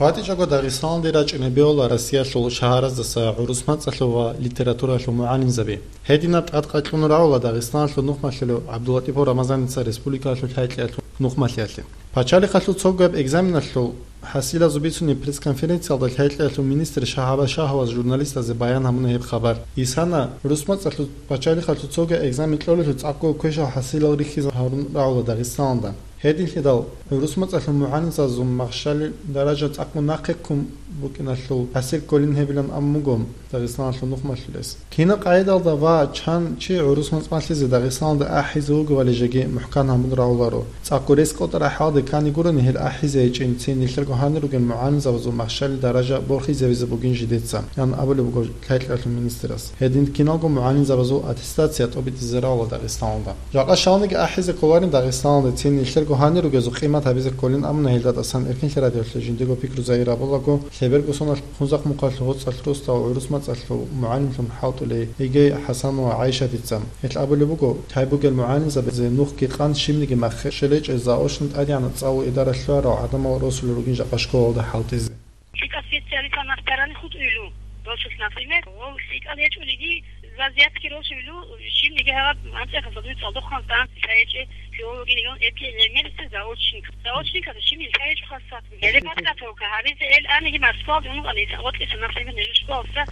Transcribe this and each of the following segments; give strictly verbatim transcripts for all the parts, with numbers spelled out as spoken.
ВатӀичӀого Дагъистаналде рачӀине бегьула Россиялъул шагьараздаса гӀурус мацӀалъул ва литературалъул мугӀалимзаби. Гьединаб тӀадкъа кьун рагӀула Дагъистаналъул нухмалъулев ГӀабдуллатӀипов Рамазаница республикалъул лъай-кьеялъул нухмалъиялъе. Пачалихъалъул цогаб экзаменалъул хӀасилазул бицунеб пресс-конференциялда лъай-кьеялъул министр Шагьаба Шагьаваз журналистазе баян гьабуна гьеб хабар. Исана, гӀурус мацӀалъул пачалихъалъул цогаб экзамен кьолелъул цӀакъго квешал хӀасилал рихьизе гьарун рагӀула Дагъистаналда. Гьединлъидал гӀурус мацӀалъул мугӀалимзабазул махщалил даража цӀакъго нахъе ккун букӀиналъул хӀасил кколин гьебилан абун буго Дагъистаналъул нухмалъулес. Кинаб къайдалда ва чан чи гӀурус мацӀ малъизе Дагъистаналда ахӀизе вугевали жеги мухӀкан гьабун рагӀуларо. ЦӀакъго рес кӀотӀараб хӀалде ккани гурони гьел ахӀизе гьечӀин, цин нилъерго гьанир ругел мугӀалимзабазул махщалил даража борхизевизе бугин жидеца, ян абулеб буго лъай-кьеялъул министрас. Гьедин киналго мугӀалимзабазул аттестация тӀобитӀизе рагӀула Дагъистаналда. Жакъа щалниги ахӀизе кколарин Дагъистаналде, цин нилъерго гьанир ругезул къимат гьабизе кколин абуна гьелда тӀасан Эркинлъи радиоялъе жиндиего пикру загьир гьабулаго, лъеберго соналъ Хунзахъ мухъалъ гъоцӀалъ росдал гӀурус мацӀалъул мугӀалимлъун хӀалтӀулей Игей ХӀасан ва ГӀайшатица. Гьелъ абулеб буго, лъай бугел мугӀалимзабазе нухги къан щибниги махщел гьечӀел заочно тӀадегӀанаб цӀа ва идара лъугӀарал гӀадамал росулел ругин жакъа школалда хӀалтӀизе. ЛъикӀал специалистал махтарани хутӀуйилу, росулъ, например, гъов лъикӀал гьечӀолиги, вазиятги росулилу, щибниги гьаб анцӀихъалда дуе цӀалдохъанлъан лъай гьечӀеб филологи регион эпиэлемелиса заочник. Заочникалда щибниги лъай гьечӀо хасат. Гьеле подготовка гьабизе эл аниги Москвалде унукъана, гьитӀа гъоркьиса, например, нижер школалъа,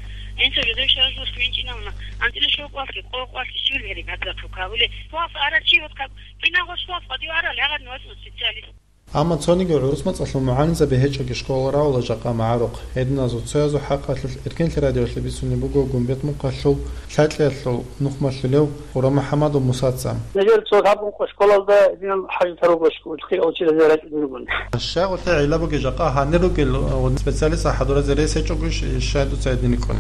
инсул жодой шараж вуссун винчӀинавуна, анцӀила шокъолъги, къокъолъги, щиб гьеле подготовка гьабулеб. Школалъа арачи, вот как, киналго школалъ къватӀив арал гьагъадин вачӀун специалист. Амма цониги гӀурус мацӀалъул мугӀалимзаби гьечӀоги школа рагӀула жакъа магӀарухъ. Гьединазул цоязул хӀакъалъулъ Эркинлъи радиоялъе бицунеб буго Гумбет мухъалъул лъай-кьеялъул нухмалъулев ХурахӀмухӀамадов Мусаца. Нижер цо гьабун къо школалда динан хӀажатал руго школалъе учитель рачӀунел ругони. Щай гъолъе гӀилла бугеб жакъа гьанир ругел, э, специалист хӀадуразе рес гьечӀого щ-, щай дуца гьедин рикӀкӀун?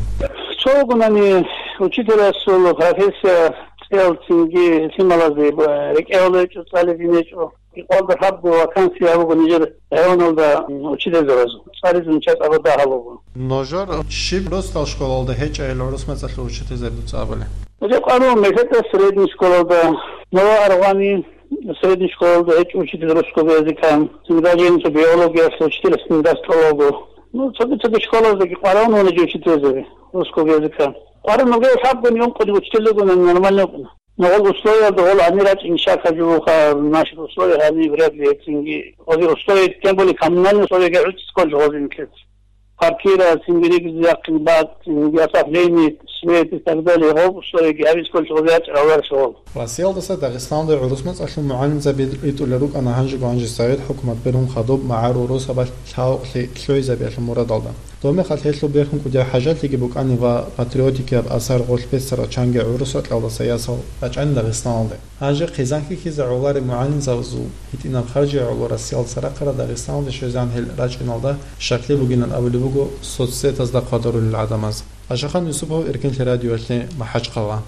Цо вугонани учителасул профессия цӀел цинги лъималазе б-, рекӀелда гьечӀо, цӀализин гьечӀо. Гьикъалда лъабго вакансия буго нижер районалда, м, учительзабазул. ЦӀализун чӀезаб дагьал буго. Нужер щиб росдал школалда гьечӀайил гӀурус мацӀалъул учительзаби дуца абулеб? Гьеб къару мехетӀа средний школалда, Новая Аргъвани средний школалда гьечӀо учитель русского языка, даже инсу биологиялъул учитель даскӀалалго. Ну, цоги-цоги школаздаги къваригӀун вуго учительзаби русского языка. КъваригӀун вугев лъабгони ункъони учитель вугони нормально вукӀуна. Ногъол условиялда гъол гьанир рачӀин щака жугьуха, наши условия гьаниб вряд ли гьецинги. Гъози условия, тем более коммунальные условия гьечӀо гъози нилъер. Квартира, цинги ригизе яхъин бакӀ, цинги отопление, свет и так далее. Гъоб условияги гьабизе кколел гъози гьечӀо гьавар шагьол. Россиялдаса Дагъистаналде гӀурус мацӀалъул мугӀалимзаби ритӀулел рукӀана гьанжего-гьанже Совет хӀукумат бергьун хадуб магӀарул росабалъ лъагӀукълъи лъугӀизабиялъул мурадалда. Доб мехалъ гьелъул бергьун кӀудияб хӀажатлъиги букӀанин ва патриотикияб асар гъорлъ бессарал чанги гӀурусал кьалдаса ясал рачӀанин Дагъистаналде. Гьанже хъизан хьихьизе гӀоларел мугӀалимзабазул гьитӀинаб харжи гӀоло Россиялдаса рахъарал Дагъистаналде щвезегӀан гьел рачӀиналда щаклъи бугилан абулеб буго соцсетазда хъвадарулел гӀадамаз. Ашахан Юсупов, Эркинлъи радиоялъе, МахӀачхъала.